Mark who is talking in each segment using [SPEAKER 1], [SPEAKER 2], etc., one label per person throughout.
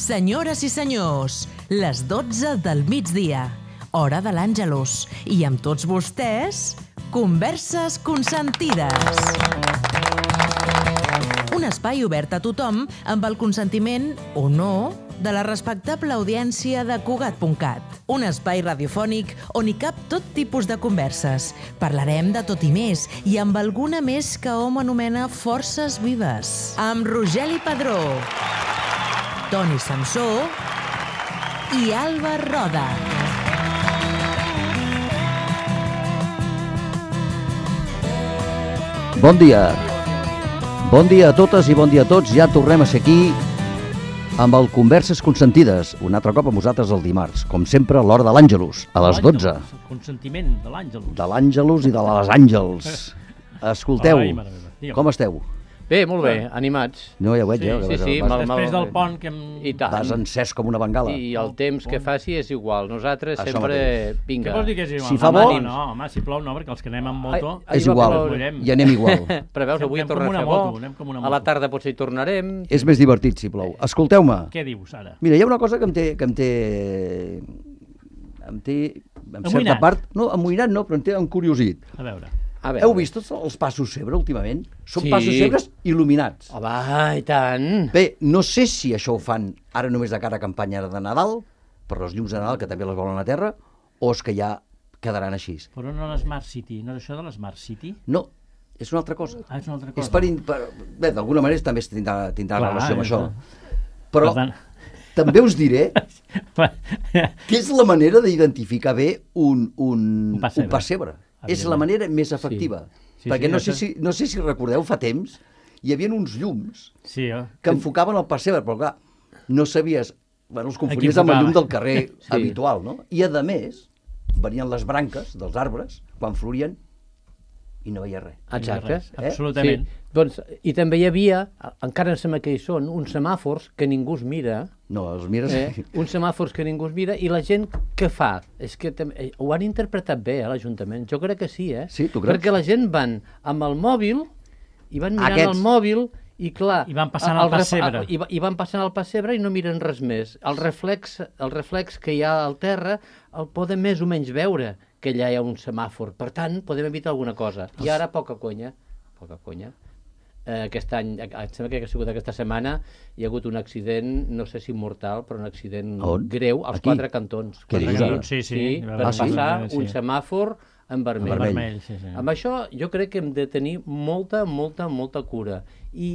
[SPEAKER 1] Senyores i senyors, les 12 del migdia, hora de l'Àngelus. I amb tots vostès, Converses Consentides. Un espai obert a tothom amb el consentiment, o no, de la respectable audiència de Cugat.cat. Un espai radiofònic on hi cap tot tipus de converses. Parlarem de tot i més, i amb alguna més que hom anomena forces vives. Amb Rogeli Padró, Toni Samsó i Alba Roda.
[SPEAKER 2] Bon dia. Bon dia a totes i bon dia a tots. Ja tornem a ser aquí amb el Converses Consentides. Un altre cop amb vosaltres el dimarts. Com sempre, a l'hora de l'Àngelus, a les 12.
[SPEAKER 3] El consentiment de l'Àngelus.
[SPEAKER 2] De l'Àngelus i de les Àngels. Escolteu, com esteu?
[SPEAKER 4] Bé, molt bé, animats.
[SPEAKER 2] No, ja ho veig,
[SPEAKER 4] Sí,
[SPEAKER 3] Després del pont que hem...
[SPEAKER 4] I tant.
[SPEAKER 2] Vas encès com una bengala.
[SPEAKER 4] I el temps que faci és igual. Nosaltres
[SPEAKER 2] Això
[SPEAKER 4] sempre...
[SPEAKER 2] mateix.
[SPEAKER 4] Vinga.
[SPEAKER 3] Què vols dir que és igual?
[SPEAKER 2] Si fa bo...
[SPEAKER 3] No, home, si plou no, perquè els que anem amb moto...
[SPEAKER 2] És igual, i anem igual.
[SPEAKER 4] Però veus, avui
[SPEAKER 3] Anem
[SPEAKER 4] torna
[SPEAKER 3] com
[SPEAKER 4] a
[SPEAKER 3] una
[SPEAKER 4] fer bo.
[SPEAKER 3] moto, anem com una
[SPEAKER 4] A la
[SPEAKER 3] moto.
[SPEAKER 4] tarda potser hi tornarem.
[SPEAKER 2] És més divertit si plou. Escolteu-me.
[SPEAKER 3] Què dius, ara?
[SPEAKER 2] Mira, hi ha una cosa que em té en certa
[SPEAKER 3] Amoïnat.
[SPEAKER 2] part... No, amoïnat no, però em té encuriosit.
[SPEAKER 3] A veure...
[SPEAKER 4] A veure.
[SPEAKER 2] Heu vist tots els passos Cebre últimament? Són
[SPEAKER 4] Sí.
[SPEAKER 2] passos Cebres il·luminats.
[SPEAKER 4] Home, i tant.
[SPEAKER 2] Bé, no sé si això ho fan ara només de cara a campanya de Nadal, per les llums de Nadal, que també les volen a la Terra, o és que ja quedaran així.
[SPEAKER 3] Però no l'Smart City, no és això de l'Smart City?
[SPEAKER 2] No, és una altra cosa.
[SPEAKER 3] Ah, és una altra cosa.
[SPEAKER 2] És bé, d'alguna manera també tindrà
[SPEAKER 3] Clar,
[SPEAKER 2] relació amb
[SPEAKER 3] és
[SPEAKER 2] això.
[SPEAKER 3] clar.
[SPEAKER 2] Però
[SPEAKER 3] Per tant...
[SPEAKER 2] també us diré que és la manera d'identificar bé un pessebre. És la manera més efectiva.
[SPEAKER 3] Sí,
[SPEAKER 2] Perquè no
[SPEAKER 3] això...
[SPEAKER 2] sé si recordeu, fa temps, hi havia uns llums
[SPEAKER 3] Sí,
[SPEAKER 2] que enfocaven el pessebre, però clar, no sabies... Bueno, els confonies
[SPEAKER 3] Aquí
[SPEAKER 2] amb el llum
[SPEAKER 3] enfocava.
[SPEAKER 2] del carrer habitual, no? I, a més, venien les branques dels arbres, quan florien, i no veia res.
[SPEAKER 4] Exacte.
[SPEAKER 3] Absolutament.
[SPEAKER 4] Sí. Doncs, i també hi havia, encara em sembla que hi són, uns semàfors que ningú es mira,
[SPEAKER 2] No, els mires...
[SPEAKER 4] uns semàfors que ningú es mira, i la gent què fa? És que ho han interpretat bé, l'Ajuntament. Jo crec que sí,
[SPEAKER 2] Sí, tu creus?
[SPEAKER 4] Perquè la gent van amb el mòbil, i van mirant
[SPEAKER 2] Aquests.
[SPEAKER 4] el mòbil, i clar...
[SPEAKER 3] I van passant al pessebre.
[SPEAKER 4] I van passant al pessebre i no miren res més. El reflex que hi ha al terra el podem més o menys veure, que allà hi ha un semàfor. Per tant, podem evitar alguna cosa. I ara, poca conya. Aquest any, em sembla que ha sigut aquesta setmana, hi ha hagut un accident, no sé si mortal, però un accident greu als
[SPEAKER 2] Aquí?
[SPEAKER 4] 4 cantons.
[SPEAKER 2] Què dius ara?
[SPEAKER 3] Sí.
[SPEAKER 4] Per passar un semàfor en vermell.
[SPEAKER 2] En vermell.
[SPEAKER 3] Vermell, sí.
[SPEAKER 4] Amb això jo crec que hem de tenir molta cura. I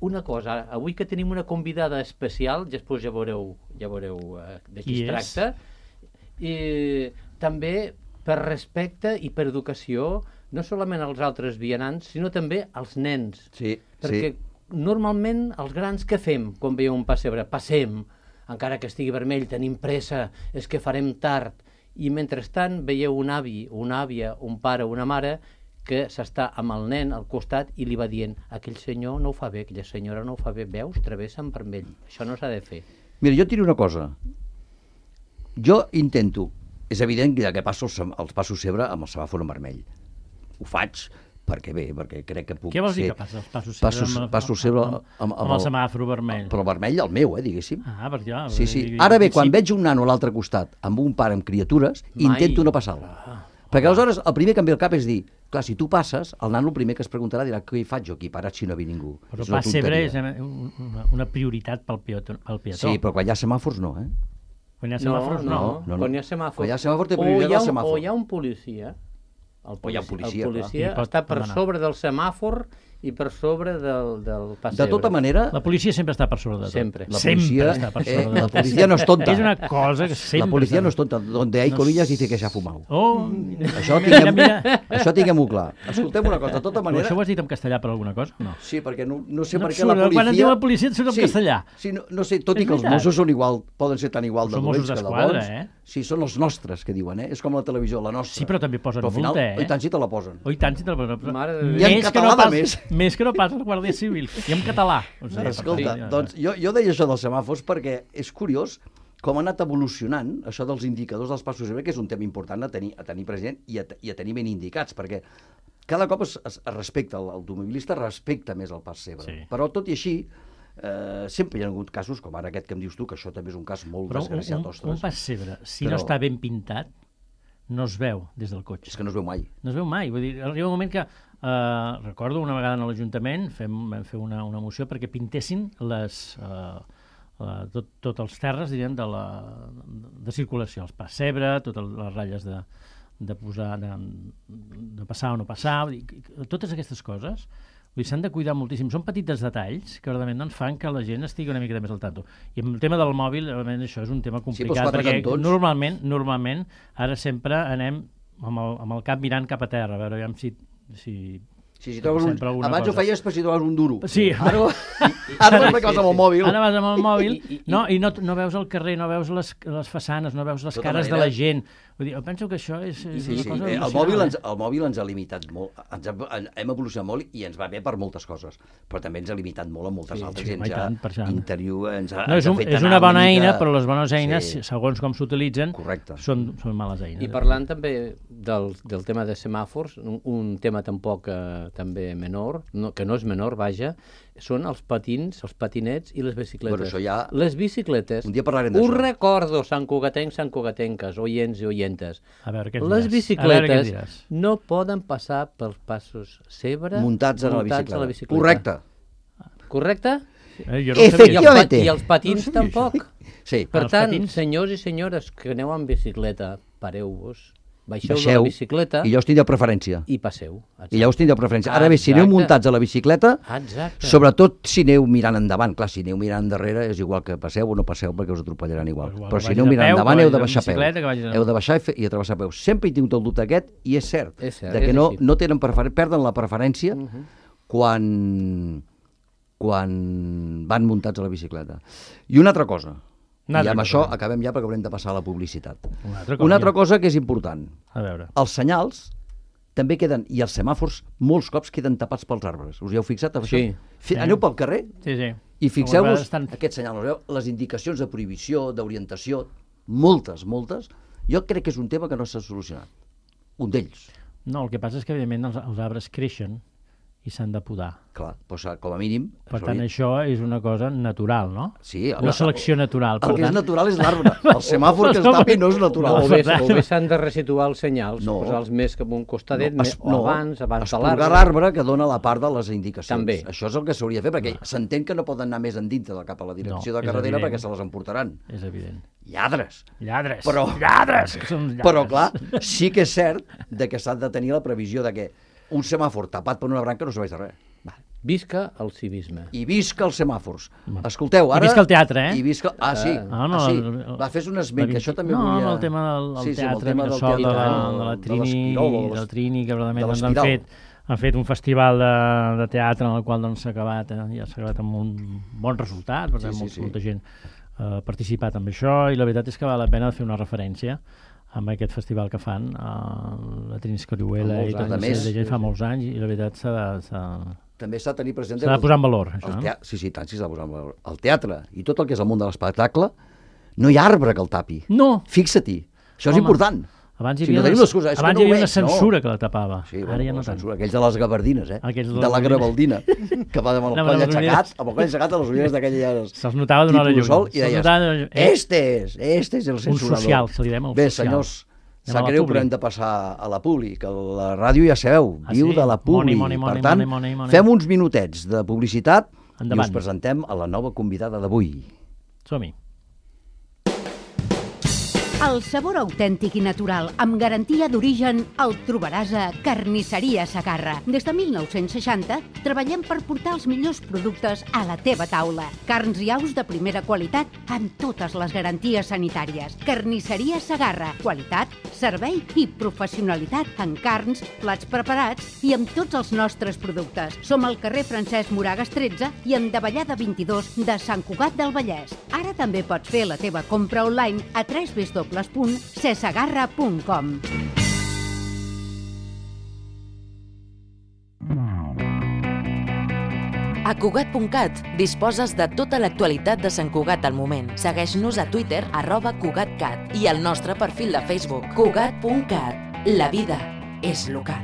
[SPEAKER 4] una cosa, avui que tenim una convidada especial, després ja veureu de qui es tracta, i també per respecte i per educació, no solament als altres vianants, sinó també als nens.
[SPEAKER 2] Sí,
[SPEAKER 4] Perquè normalment els grans què fem quan veiem un pessebre? Passem, encara que estigui vermell, tenim pressa, és que farem tard. I mentrestant veieu un avi, una àvia, un pare, una mare que s'està amb el nen al costat i li va dient aquell senyor no ho fa bé, aquella senyora no ho fa bé, veus? Travessa en vermell. Això no s'ha de fer.
[SPEAKER 2] Mira, jo et diré una cosa. Jo intento, és evident que passo els passos Cebre amb el semàfor en vermell. Ho faig perquè crec que puc
[SPEAKER 3] Què vols dir
[SPEAKER 2] ser...
[SPEAKER 3] que passa els passos Cebre amb
[SPEAKER 2] el
[SPEAKER 3] el semàfor vermell?
[SPEAKER 2] Però vermell el meu, diguéssim.
[SPEAKER 3] Ah, perquè ja...
[SPEAKER 2] Sí. Ara bé, quan veig un nano a l'altre costat amb un pare amb criatures, intento no passar-lo. Perquè aleshores el primer que em ve al cap és dir, clar, si tu passes, el nano el primer que es preguntarà dirà què hi faig jo aquí parat si no ve ningú.
[SPEAKER 3] Però
[SPEAKER 2] És una
[SPEAKER 3] pessebre és
[SPEAKER 2] tonteria.
[SPEAKER 3] una prioritat pel peató.
[SPEAKER 2] Sí, però quan hi ha semàfors no, eh?
[SPEAKER 3] Quan hi ha semàfors, no.
[SPEAKER 4] Quan hi ha semàfor.
[SPEAKER 2] Quan hi ha semàfor té prioritat el semàfor.
[SPEAKER 4] O hi ha un policia. El
[SPEAKER 2] hi ha un policia,
[SPEAKER 4] el policia
[SPEAKER 3] clar.
[SPEAKER 4] està per
[SPEAKER 3] Pot anar.
[SPEAKER 4] sobre del semàfor i per sobre del pessebre.
[SPEAKER 2] De tota manera,
[SPEAKER 3] La policia sempre està per sobre de tot.
[SPEAKER 4] Sempre.
[SPEAKER 2] la policia,
[SPEAKER 3] Sempre està per sobre de
[SPEAKER 2] la
[SPEAKER 3] tot.
[SPEAKER 2] policia no és tonta.
[SPEAKER 3] És una cosa que sempre...
[SPEAKER 2] La policia no és tonta. Donde hay colillas dice que se ha fumado.
[SPEAKER 3] Oh,
[SPEAKER 2] Això tinguem-ho clar. Escoltem una cosa, de tota
[SPEAKER 3] Però
[SPEAKER 2] manera...
[SPEAKER 3] això ho has dit en castellà per alguna cosa? No.
[SPEAKER 2] Sí, perquè no sé
[SPEAKER 3] No
[SPEAKER 2] per
[SPEAKER 3] et
[SPEAKER 2] què la
[SPEAKER 3] surt,
[SPEAKER 2] policia...
[SPEAKER 3] quan et diu la policia et surt en castellà.
[SPEAKER 2] Sí, no sé, tot i
[SPEAKER 3] És
[SPEAKER 2] que els
[SPEAKER 3] veritat.
[SPEAKER 2] Mossos són igual, poden ser tan igual de
[SPEAKER 3] Són
[SPEAKER 2] dolents
[SPEAKER 3] Mossos
[SPEAKER 2] que de
[SPEAKER 3] d'Esquadra,
[SPEAKER 2] bons.
[SPEAKER 3] eh?
[SPEAKER 2] Sí, són els nostres, que diuen, eh? És com la televisió, la nostra.
[SPEAKER 3] Sí, però també posen
[SPEAKER 2] Però al final,
[SPEAKER 3] multa, eh?
[SPEAKER 2] I tant si te la posen.
[SPEAKER 3] Oh, i tant, si te'l posen.
[SPEAKER 4] Mare de Déu.
[SPEAKER 2] I en
[SPEAKER 3] Més que
[SPEAKER 2] català,
[SPEAKER 3] no pas,
[SPEAKER 2] de més.
[SPEAKER 3] Més que no pas el Guàrdia Civil. I en català. O sigui,
[SPEAKER 2] Escolta,
[SPEAKER 3] sí,
[SPEAKER 2] doncs jo deia això dels semàfors perquè és curiós com ha anat evolucionant això dels indicadors dels passos Cebre, que és un tema important a tenir present i a tenir ben indicats, perquè cada cop es respecta, l'automobilista respecta més el pas Cebre.
[SPEAKER 3] Sí.
[SPEAKER 2] Però tot i així, Sempre hi ha hagut casos, com ara aquest que em dius tu, que això també és un cas molt
[SPEAKER 3] Però
[SPEAKER 2] desgraciat,
[SPEAKER 3] un
[SPEAKER 2] ostres.
[SPEAKER 3] pessebre, si no està ben pintat, no es veu des del cotxe.
[SPEAKER 2] És que no es veu mai.
[SPEAKER 3] No es veu mai. Vull dir, arriba un moment que, recordo una vegada a l'Ajuntament, vam fer una moció perquè pintessin tots els terres, diríem, de circulació, els pessebre, totes les ratlles de passar o no passar, vull dir, totes aquestes coses s'han de cuidar moltíssim. Són petits detalls que verdaderament doncs, fan que la gent estigui una mica més al tanto. I el tema del mòbil, això és un tema complicat, perquè normalment ara sempre anem amb el cap mirant cap a terra, a veure si
[SPEAKER 2] si trobes abans ho feies per si trobes un duro.
[SPEAKER 3] Sí.
[SPEAKER 2] Ara vas amb el mòbil.
[SPEAKER 3] Ara vas amb el mòbil i no veus el carrer, no veus les façanes, no veus les cares de la gent. Vull dir, jo penso que això és una cosa...
[SPEAKER 2] El mòbil ens ha limitat molt, hem evolucionat molt i ens va bé per moltes coses, però també ens ha limitat molt en moltes altres.
[SPEAKER 3] És una bona eina, però les bones eines, segons com s'utilitzen, són males eines.
[SPEAKER 4] I parlant també del tema de semàfors, un tema tampoc també menor, que no és menor, vaja, són els patins, els patinets i les bicicletes. Les bicicletes,
[SPEAKER 2] un dia parlarem d'això.
[SPEAKER 4] Us recordo, santcugatenques, oients i oientes.
[SPEAKER 3] Les
[SPEAKER 4] bicicletes no poden passar pels passos zebra
[SPEAKER 2] muntats a la bicicleta. Correcte?
[SPEAKER 4] Efectivament. I els patins tampoc. Per tant, senyors i senyores que aneu amb bicicleta, pareu-vos, baixeu de la bicicleta
[SPEAKER 2] i ja us tindreu preferència.
[SPEAKER 4] I passeu.
[SPEAKER 2] I ja us tindreu preferència. Ara bé, si aneu muntats a la bicicleta, sobretot si aneu mirant endavant, clar, si aneu mirant darrere és igual que passeu o no passeu perquè us atropellaran igual. Però si aneu mirant endavant heu de baixar peu. Heu de baixar i travessar peu. Sempre he tingut el dubte aquest i és cert que no tenen perden la preferència quan van muntats a la bicicleta. I una altra cosa, i amb això acabem ja perquè haurem de passar a la publicitat. Una altra cosa que és important. Els senyals també queden, i els semàfors molts cops queden tapats pels arbres. Us hi heu fixat? Aneu pel carrer i fixeu-vos aquests senyals. Les indicacions de prohibició, d'orientació, moltes. Jo crec que és un tema que no s'ha solucionat. Un d'ells.
[SPEAKER 3] No, el que passa és que evidentment els arbres creixen i s'han de podar.
[SPEAKER 2] Clar, doncs com a mínim...
[SPEAKER 3] Per tant, això és una cosa natural, no?
[SPEAKER 2] Sí.
[SPEAKER 3] Una selecció natural.
[SPEAKER 2] El que és natural és l'arbre. El semàfor que es tapi no és natural.
[SPEAKER 4] O bé s'han de resituar els senyals, posar-los més cap a un costadet, abans de l'arbre.
[SPEAKER 2] Esporgar l'arbre que dona la part de les indicacions.
[SPEAKER 4] També.
[SPEAKER 2] Això és el que s'hauria de fer, perquè s'entén que no poden anar més endintre cap a la direcció de carretera perquè se les emportaran.
[SPEAKER 3] És evident.
[SPEAKER 2] Lladres.
[SPEAKER 3] Lladres.
[SPEAKER 2] Però, clar, sí que és cert que s'ha de tenir la previsió de que un semàfor tapat per una branca no serveix de res.
[SPEAKER 4] Visca el civisme.
[SPEAKER 2] I visca els semàfors. Escolteu, ara...
[SPEAKER 3] I visca el teatre,
[SPEAKER 2] I visca... sí. Va, fes un esment, que això també volia...
[SPEAKER 3] No, el tema del teatre, de la Trini, que verdaderament han fet un festival de teatre en el qual s'ha acabat amb un bon resultat, per tant, molta gent ha participat amb això, i la veritat és que val la pena fer una referència amb aquest festival que fan, la Trini Escorihuela i tot això, fa molts anys, i la veritat
[SPEAKER 2] també s'ha de tenir present...
[SPEAKER 3] S'ha de posar en valor, això, no?
[SPEAKER 2] Sí, tant, s'ha de posar en valor. El teatre i tot el que és el món de l'espectacle, no hi ha arbre que el tapi.
[SPEAKER 3] No!
[SPEAKER 2] Fixa-t'hi. Això és important.
[SPEAKER 3] Abans hi havia una censura que la tapava. Ara ja no tant.
[SPEAKER 2] Aquells de les gabardines, de la gravaldina, que va amb el coll aixecat a les ulleres d'aquelles...
[SPEAKER 3] Se'ls notava d'una hora lluny.
[SPEAKER 2] I deies, este és el censurador.
[SPEAKER 3] Un social, se li diem el social.
[SPEAKER 2] Bé, senyors, sap greu, però hem de passar a la publi, que la ràdio, ja sabeu, viu de la publi. Per tant, fem uns minutets de publicitat i us presentem a la nova convidada d'avui.
[SPEAKER 3] Som-hi.
[SPEAKER 5] El sabor autèntic i natural, amb garantia d'origen, el trobaràs a Carnisseria Segarra. Des de 1960 treballem per portar els millors productes a la teva taula. Carns i aus de primera qualitat amb totes les garanties sanitàries. Carnisseria Segarra. Qualitat, servei i professionalitat en carns, plats preparats i amb tots els nostres productes. Som al carrer Francesc Moragas 13 i en Davallada 22 de Sant Cugat del Vallès. Ara també pots fer la teva compra online a www.cesegarra.com.
[SPEAKER 1] A Cugat.cat disposes de tota l'actualitat de Sant Cugat al moment. Segueix-nos a Twitter, @CugatCat, i al nostre perfil de Facebook, Cugat.cat. La vida és local.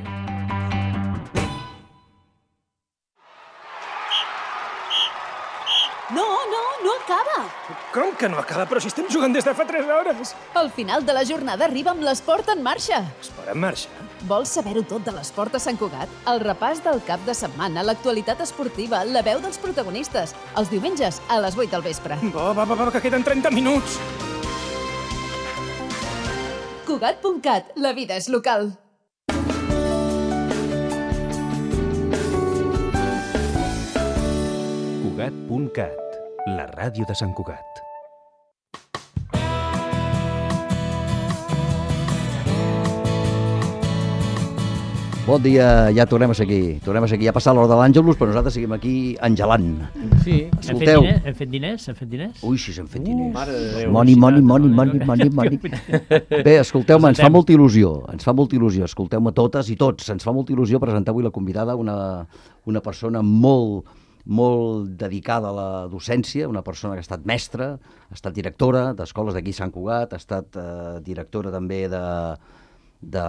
[SPEAKER 6] Que no acaba, però si estem jugant des de fa 3 hores.
[SPEAKER 7] Al final de la jornada arriba amb l'esport en marxa.
[SPEAKER 6] Esport en marxa?
[SPEAKER 7] Vols saber-ho tot de l'esport a Sant Cugat? El repàs del cap de setmana, l'actualitat esportiva, la veu dels protagonistes. Els diumenges a les 8 del vespre.
[SPEAKER 6] Va, que queden 30 minuts.
[SPEAKER 7] Cugat.cat, la vida és local.
[SPEAKER 8] Cugat.cat, la ràdio de Sant Cugat.
[SPEAKER 2] Bon dia, ja tornem a seguir. Ja ha passat l'hora de l'Àngelus, però nosaltres seguim aquí engelant.
[SPEAKER 4] Sí.
[SPEAKER 2] Escolteu.
[SPEAKER 3] Hem fet diners?
[SPEAKER 2] Ui, sí, s'han fet diners.
[SPEAKER 4] Mare de Déu.
[SPEAKER 2] Money. Bé, escolteu-me, ens fa molta il·lusió. Escolteu-me totes i tots. Ens fa molta il·lusió presentar avui la convidada, una persona molt dedicada a la docència, una persona que ha estat mestra, ha estat directora d'escoles d'aquí a Sant Cugat, ha estat directora també de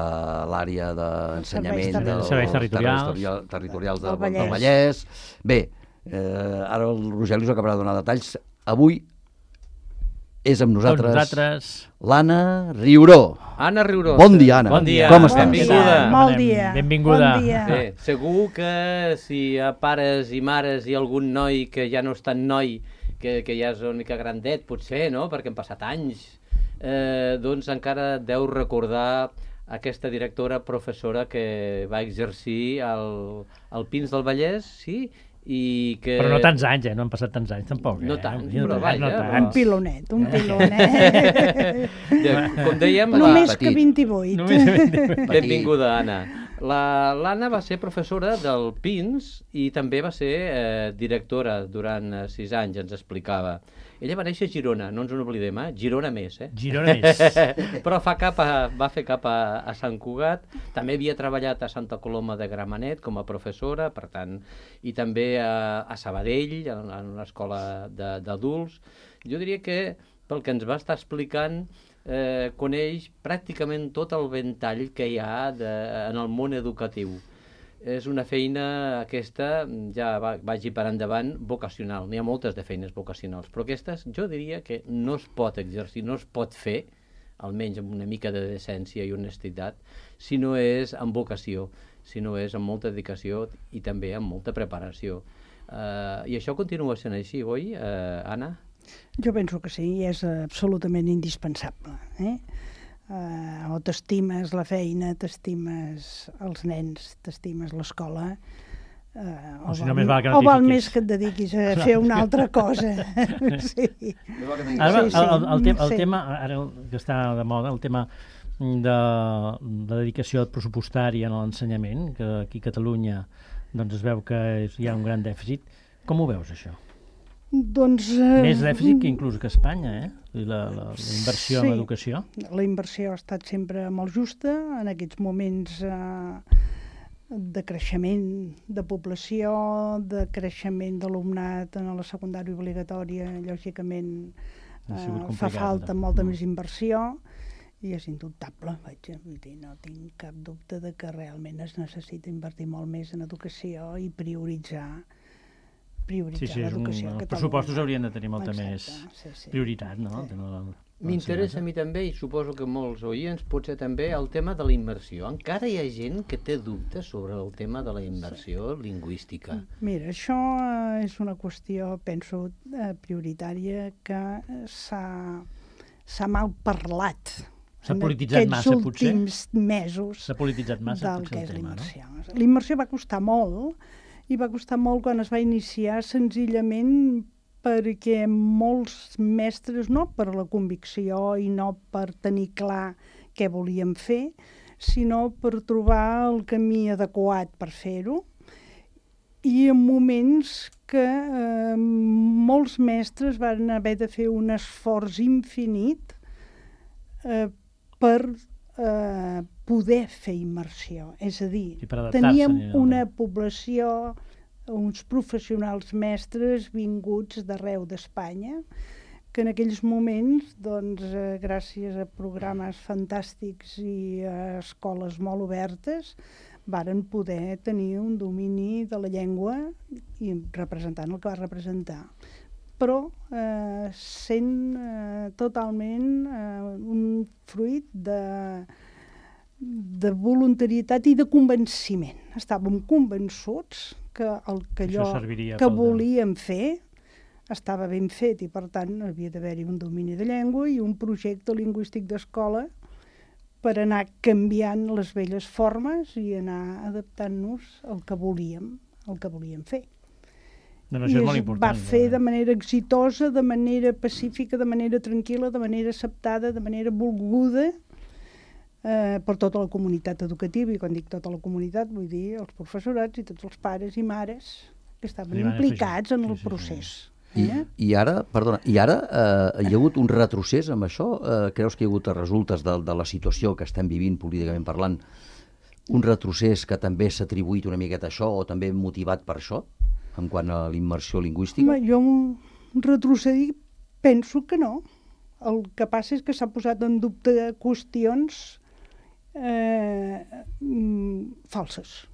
[SPEAKER 2] l'àrea d'ensenyament dels
[SPEAKER 3] serveis
[SPEAKER 2] territorials del Vallès. Bé, ara el Rogeli us acabarà de donar detalls. Avui és amb nosaltres l'Anna Riuró.
[SPEAKER 4] Anna Riuró.
[SPEAKER 2] Bon dia, Anna.
[SPEAKER 4] Bon dia.
[SPEAKER 2] Com estàs?
[SPEAKER 4] Benvinguda.
[SPEAKER 9] Molt dia.
[SPEAKER 3] Benvinguda.
[SPEAKER 9] Bon dia.
[SPEAKER 4] Bé, segur que si hi ha pares i mares i algun noi que ja no és tan noi, que ja és una mica grandet, potser, no?, perquè han passat anys, doncs encara deu recordar aquesta directora professora que va exercir al Pins del Vallès, sí, i que...
[SPEAKER 3] Però no tants anys, no han passat tants anys tampoc.
[SPEAKER 4] No tant,
[SPEAKER 3] però
[SPEAKER 4] vaja.
[SPEAKER 9] Un pilonet.
[SPEAKER 4] Com dèiem...
[SPEAKER 9] Només que 28.
[SPEAKER 4] Benvinguda, Anna. L'Anna va ser professora del Pins i també va ser directora durant 6 anys, ens explicava. Ella va néixer a Girona, no ens n'oblidem, Girona més,
[SPEAKER 3] Girona més.
[SPEAKER 4] Però va fer cap a Sant Cugat, també havia treballat a Santa Coloma de Gramenet com a professora, per tant, i també a Sabadell, en una escola d'adults. Jo diria que, pel que ens va estar explicant, coneix pràcticament tot el ventall que hi ha en el món educatiu. És una feina aquesta, ja vagi per endavant, vocacional. N'hi ha moltes de feines vocacionals, però aquestes jo diria que no es pot exercir, no es pot fer, almenys amb una mica de decència i honestitat, si no és amb vocació, si no és amb molta dedicació i també amb molta preparació. I això continua sent així, oi, Anna?
[SPEAKER 9] Jo penso que sí, és absolutament indispensable. O t'estimes la feina, t'estimes els nens, t'estimes l'escola, o val més que et dediquis a fer una altra cosa. Sí.
[SPEAKER 3] El tema, ara que està de moda, el tema de la dedicació pressupostària en l'ensenyament, que aquí a Catalunya es veu que hi ha un gran dèficit. Com ho veus, això?
[SPEAKER 9] Doncs,
[SPEAKER 3] més dèficit que inclús que Espanya, la inversió en l'educació.
[SPEAKER 9] La inversió ha estat sempre molt justa. En aquests moments de creixement de població, de creixement d'alumnat en la secundària obligatòria, lògicament fa falta molta més inversió i és indubtable. Vull dir, no tinc cap dubte de que realment es necessita invertir molt més en educació i prioritzar l'educació.
[SPEAKER 3] Els pressupostos haurien de tenir molta més prioritat, no?
[SPEAKER 4] M'interessa a mi també, i suposo que molts oients, potser també el tema de la immersió. Encara hi ha gent que té dubtes sobre el tema de la immersió lingüística.
[SPEAKER 9] Mira, això és una qüestió, penso, prioritària que s'ha mal parlat.
[SPEAKER 3] S'ha polititzat massa, potser?
[SPEAKER 9] En aquests últims mesos del que és l'immersió. L'immersió va costar molt, i va costar molt quan es va iniciar senzillament perquè molts mestres, no per la convicció i no per tenir clar què volíem fer, sinó per trobar el camí adequat per fer-ho. I en moments que molts mestres van haver de fer un esforç infinit per poder fer immersió. És a dir, teníem una població, uns professionals mestres vinguts d'arreu d'Espanya, que en aquells moments, gràcies a programes fantàstics i a escoles molt obertes, varen poder tenir un domini de la llengua i representant el que va representar. però sent totalment un fruit de voluntarietat i de convenciment. Estàvem convençuts que allò que volíem fer estava ben fet i, per tant, havia d'haver-hi un domini de llengua i un projecte lingüístic d'escola per anar canviant les velles formes i anar adaptant-nos al que volíem fer.
[SPEAKER 3] I es
[SPEAKER 9] va fer de manera exitosa, de manera pacífica, de manera tranquil·la, de manera acceptada, de manera volguda per tota la comunitat educativa. I quan dic tota la comunitat vull dir els professorats i tots els pares i mares que estaven implicats en el procés.
[SPEAKER 2] I ara hi ha hagut un retrocés amb això? Creus que hi ha hagut resultes de la situació que estem vivint políticament parlant, un retrocés que també s'ha atribuït una miqueta a això o també motivat per això, en quant a la immersió lingüística?
[SPEAKER 9] Jo retrocedir penso que no. El que passa és que s'ha posat en dubte qüestions falses.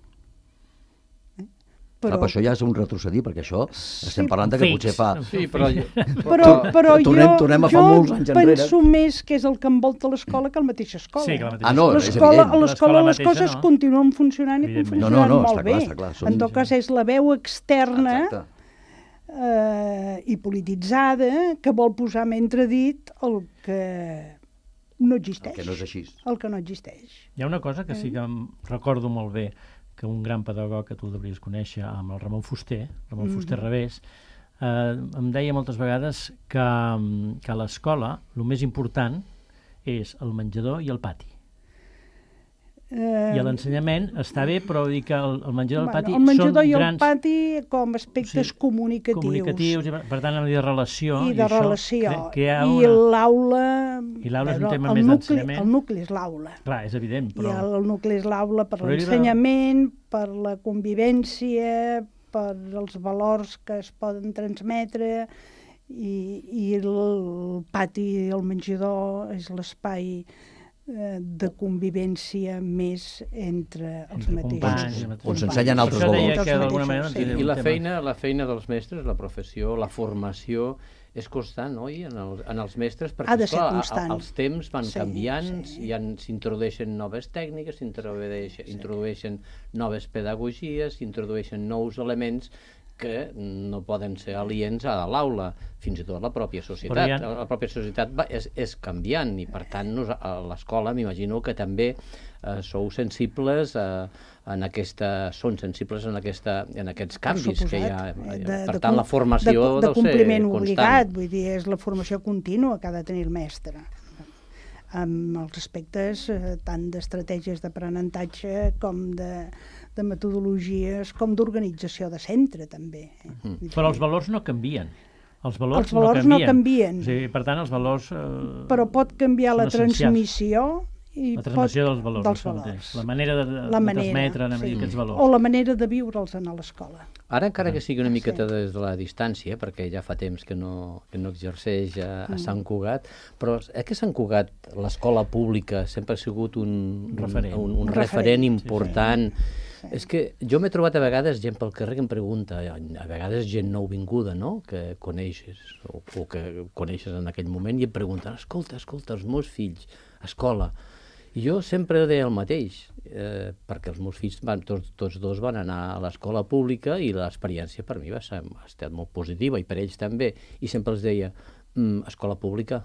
[SPEAKER 2] Però això ja és un retrocedir, perquè això estem parlant que potser fa...
[SPEAKER 9] Sí, però jo penso més que és el que envolta l'escola que la mateixa escola.
[SPEAKER 3] Sí, que la mateixa escola.
[SPEAKER 9] A l'escola les coses continuen funcionant i funcionant molt bé. En tot cas és la veu externa i polititzada que vol posar en entredit el que no existeix.
[SPEAKER 2] El que no és així.
[SPEAKER 9] El que no existeix.
[SPEAKER 3] Hi ha una cosa que sí que em recordo molt bé, que un gran pedagog que tu devries conèixer, amb el Ramon Fuster Revés, em deia moltes vegades que a l'escola el més important és el menjador i el pati. I a l'ensenyament està bé, però dir que el menjador i el pati són grans...
[SPEAKER 9] El menjador i el pati com aspectes comunicatius.
[SPEAKER 3] I per tant, de relació.
[SPEAKER 9] I de relació. I l'aula...
[SPEAKER 3] I l'aula és un tema més d'ensenyament.
[SPEAKER 9] El nucli és l'aula.
[SPEAKER 3] Clar, és evident, però...
[SPEAKER 9] I el nucli és l'aula per l'ensenyament, per la convivència, per els valors que es poden transmetre, i el pati, el menjador, és l'espai de convivència més entre els mateixos.
[SPEAKER 2] On s'ensenyen altres valors.
[SPEAKER 4] I la feina dels mestres, la professió, la formació, és constant, oi? En els mestres, perquè els temps van canviant, s'introdueixen noves tècniques, s'introdueixen noves pedagogies, s'introdueixen nous elements que no poden ser aliens a l'aula, fins i tot la pròpia societat. La pròpia societat és canviant i, per tant, a l'escola m'imagino que també sou sensibles són sensibles en aquests canvis que hi ha. Per tant, la formació deu ser constant.
[SPEAKER 9] De compliment obligat, vull dir, és la formació contínua que ha de tenir el mestre, amb els aspectes tant d'estratègies d'aprenentatge com de metodologies, com d'organització de centre, també.
[SPEAKER 3] Però els valors no canvien. Els valors
[SPEAKER 9] no canvien.
[SPEAKER 3] O sigui, per tant, els valors...
[SPEAKER 9] Però pot canviar la transmissió i
[SPEAKER 3] la transmissió dels valors. La manera de transmetre aquests valors.
[SPEAKER 9] O la manera de viure'ls a l'escola.
[SPEAKER 4] Ara, encara que sigui una miqueta des de la distància, perquè ja fa temps que no exerceix a Sant Cugat, però que Sant Cugat, l'escola pública, sempre ha sigut un referent important. És que jo m'he trobat a vegades gent pel carrer que em pregunta, a vegades gent nouvinguda, no?, que coneixes o que coneixes en aquell moment, i em pregunten, escolta, els meus fills, escola. I jo sempre deia el mateix, perquè els meus fills tots dos van anar a l'escola pública i l'experiència per mi ha estat molt positiva i per ells també, i sempre els deia, escola pública.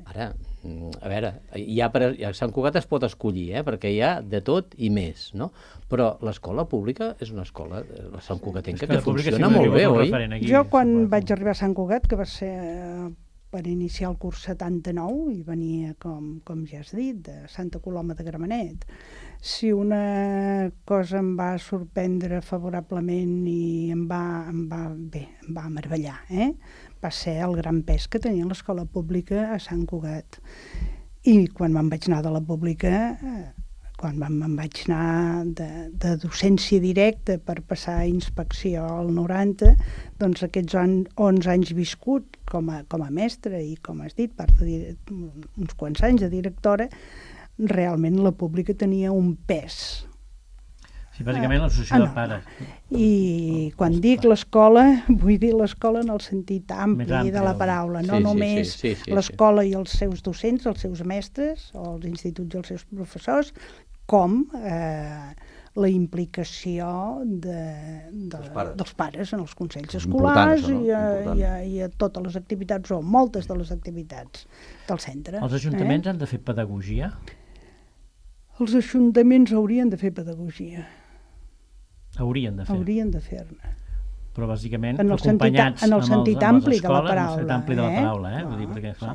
[SPEAKER 4] Ara, a veure, a Sant Cugat es pot escollir, perquè hi ha de tot i més, no? Però l'escola pública és una escola, la Sant Cugatenca, que funciona molt bé, oi?
[SPEAKER 9] Jo, quan vaig arribar a Sant Cugat, que va ser per iniciar el curs 79, i venia, com ja has dit, de Santa Coloma de Gramenet, si una cosa em va sorprendre favorablement i em va meravellar, va ser el gran pes que tenia l'escola pública a Sant Cugat. I quan me'n vaig anar de la pública, quan me'n vaig anar de docència directa per passar a inspecció al 90, doncs aquests 11 anys viscut com a mestra i, com has dit, uns quants anys de directora, realment la pública tenia un pes
[SPEAKER 3] Sí, bàsicament l'associació de pares.
[SPEAKER 9] I quan dic l'escola, vull dir l'escola en el sentit ampli de la paraula, no només l'escola i els seus docents, els seus mestres, o els instituts i els seus professors, com la implicació dels pares en els consells escolars i a totes les activitats, o moltes de les activitats del centre.
[SPEAKER 3] Els ajuntaments han de fer pedagogia?
[SPEAKER 9] Els ajuntaments haurien de fer pedagogia.
[SPEAKER 3] Haurien de fer.
[SPEAKER 9] Haurien de fer-ne.
[SPEAKER 3] Però bàsicament acompanyats
[SPEAKER 9] en el sentit ampli de la paraula.
[SPEAKER 3] En el sentit ampli de la paraula, vull dir, perquè clar,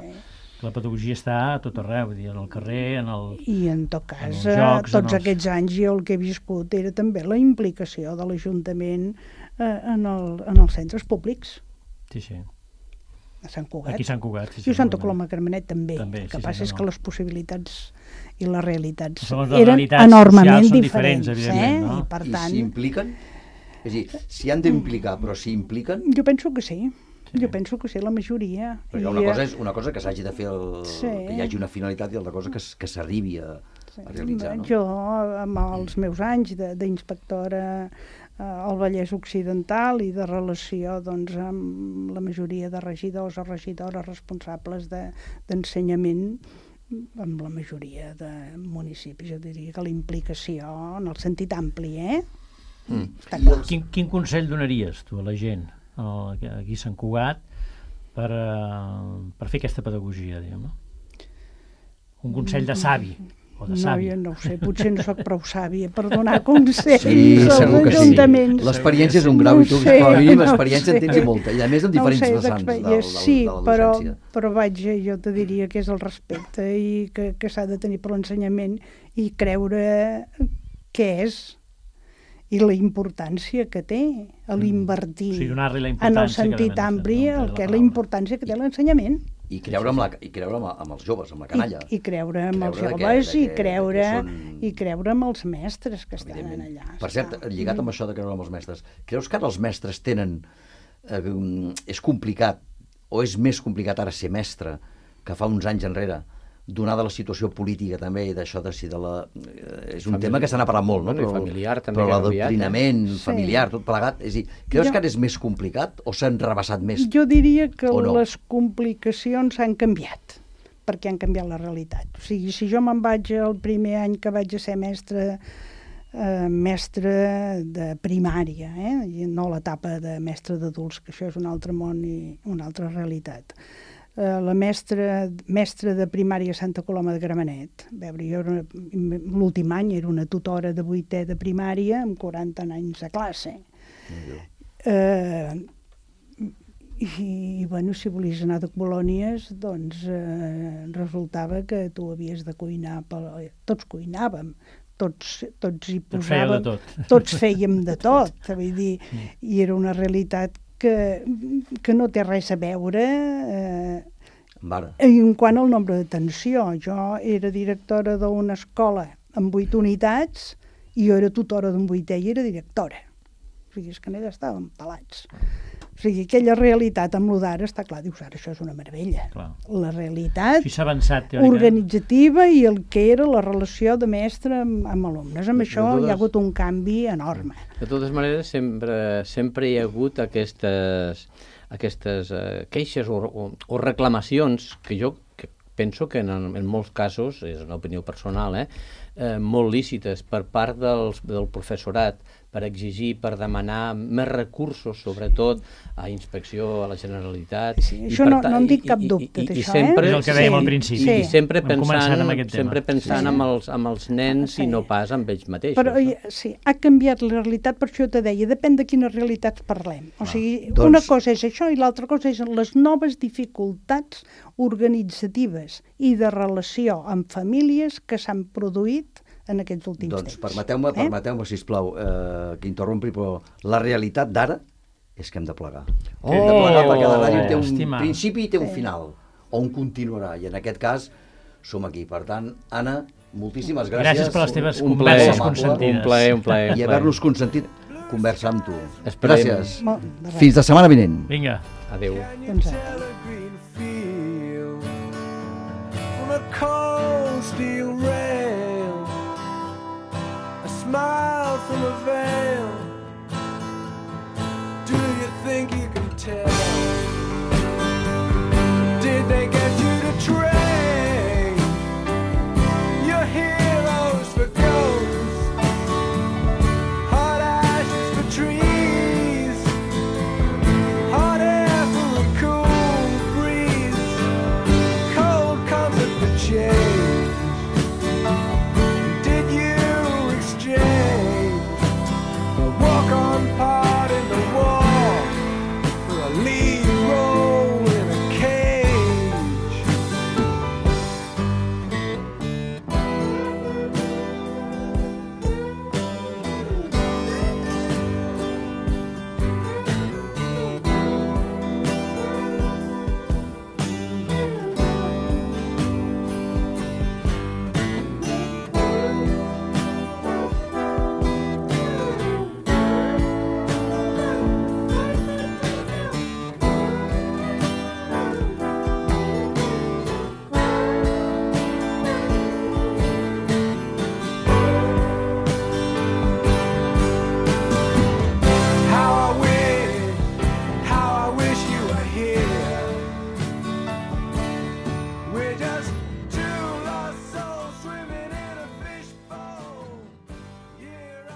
[SPEAKER 3] la pedagogia està a tot arreu, vull dir, en el carrer, en el...
[SPEAKER 9] I en tot cas, tots aquests anys jo el que he viscut era també la implicació de l'Ajuntament en els centres públics.
[SPEAKER 3] Sí, sí.
[SPEAKER 9] A Sant Cugat.
[SPEAKER 3] Aquí a Sant Cugat, sí.
[SPEAKER 9] I a Santa Coloma de Gramenet també. El que passa és que les possibilitats i les realitats eren enormement diferents. I per tant...
[SPEAKER 2] I s'impliquen? És a dir, s'hi han d'implicar, però s'hi impliquen?
[SPEAKER 9] Jo penso que sí. Jo penso que sí, la majoria.
[SPEAKER 2] Perquè una cosa que s'hagi de fer, que hi hagi una finalitat, i altra cosa que s'arribi a realitzar.
[SPEAKER 9] Jo, amb els meus anys d'inspectora al Vallès Occidental i de relació amb la majoria de regidors o regidores responsables d'ensenyament, amb la majoria de municipis, jo diria que la implicació en el sentit ampli,
[SPEAKER 3] Quin consell donaries tu a la gent aquí a Sant Cugat per fer aquesta pedagogia, diguem, no? Un consell de savi.
[SPEAKER 9] No, jo no ho sé, potser no soc prou sàvia per donar consells als ajuntaments.
[SPEAKER 2] Sí. L'experiència és un grau i tu, com a mínim, l'experiència en tens i molta, i a més en diferents vessants de la docència.
[SPEAKER 9] Sí, però vaja, jo te diria que és el respecte i que s'ha de tenir per l'ensenyament i creure què és i la importància que té l'invertir en el sentit ampli, la importància que té l'ensenyament.
[SPEAKER 2] I creure amb els joves, amb la canalla.
[SPEAKER 9] I creure amb els joves i creure amb els mestres que estan allà.
[SPEAKER 2] Per cert, lligat amb això de creure amb els mestres, creus que ara els mestres tenen... és complicat, o és més complicat ara ser mestre que fa uns anys enrere, donada la situació política també i d'això de si de la... És un tema que se n'ha parlat molt, no? Però l'adoctrinament familiar, tot plegat, és a dir, creus que ara és més complicat o s'han rebassat més?
[SPEAKER 9] Jo diria que les complicacions han canviat, perquè han canviat la realitat. O sigui, si jo me'n vaig el primer any que vaig a ser mestre de primària, i no l'etapa de mestre d'adults, que això és un altre món i una altra realitat. La mestra de primària a Santa Coloma de Gramenet. Jo l'últim any era una tutora de 8è de primària amb 40 anys de classe. I, bueno, si volies anar de colònies, doncs resultava que tu havies de cuinar, tots cuinàvem, tots hi posàvem, tots fèiem de tot, vull dir, i era una realitat que no té res a veure en quant al nombre d'atenció. Jo era directora d'una escola amb 8 unitats i jo era tutora d'un 8è i era directora. O sigui, és que n'hi estàvem pelats. O sigui, aquella realitat amb l'Udara, està clar, dius, ara això és una meravella. La realitat organitzativa i el que era la relació de mestre amb alumnes. Amb això hi ha hagut un canvi enorme.
[SPEAKER 4] De totes maneres, sempre hi ha hagut aquestes queixes o reclamacions que jo penso que en molts casos, és una opinió personal, molt lícites per part del professorat, per exigir, per demanar més recursos, sobretot a inspecció, a la Generalitat.
[SPEAKER 9] Sí, això no en dic cap dubte, d'això.
[SPEAKER 3] És el que dèiem al principi.
[SPEAKER 4] I sempre pensant amb els nens i no pas amb ells mateixos.
[SPEAKER 9] Però sí, ha canviat la realitat, per això te deia, depèn de quines realitats parlem. O sigui, una cosa és això i l'altra cosa és les noves dificultats organitzatives i de relació amb famílies que s'han produït en aquests últims temps.
[SPEAKER 2] Doncs permeteu-me, sisplau, que interrompi, però la realitat d'ara és que hem de plegar. Hem de plegar perquè la ràdio té un principi i té un final, on continuarà, i en aquest cas som aquí. Per tant, Anna, moltíssimes gràcies.
[SPEAKER 3] Gràcies per les teves converses consentides.
[SPEAKER 4] Un plaer.
[SPEAKER 2] I haver-nos consentit conversar amb tu. Gràcies. Fins la setmana vinent.
[SPEAKER 3] Vinga.
[SPEAKER 4] Adéu.